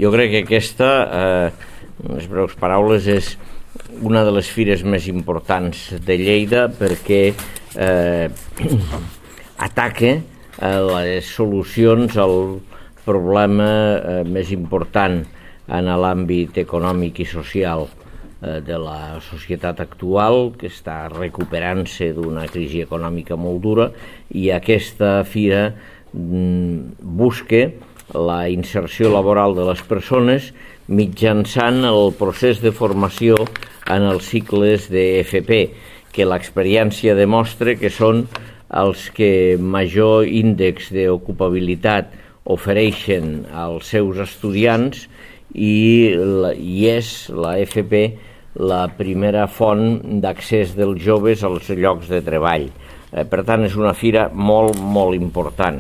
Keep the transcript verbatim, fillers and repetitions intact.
Jo crec que aquesta, eh, en les breus paraules, és una de les fires més importants de Lleida perquè eh, ataca eh, les solucions al problema eh, més important en l'àmbit econòmic i social eh, de la societat actual, que està recuperant-se d'una crisi econòmica molt dura, i aquesta fira mm, busca la inserció laboral de les persones mitjançant el procés de formació en els cicles d'F P, que l'experiència demostra que són els que major índex d'ocupabilitat ofereixen als seus estudiants i, la, i és la F P la primera font d'accés dels joves als llocs de treball. Eh, per tant, és una fira molt, molt important.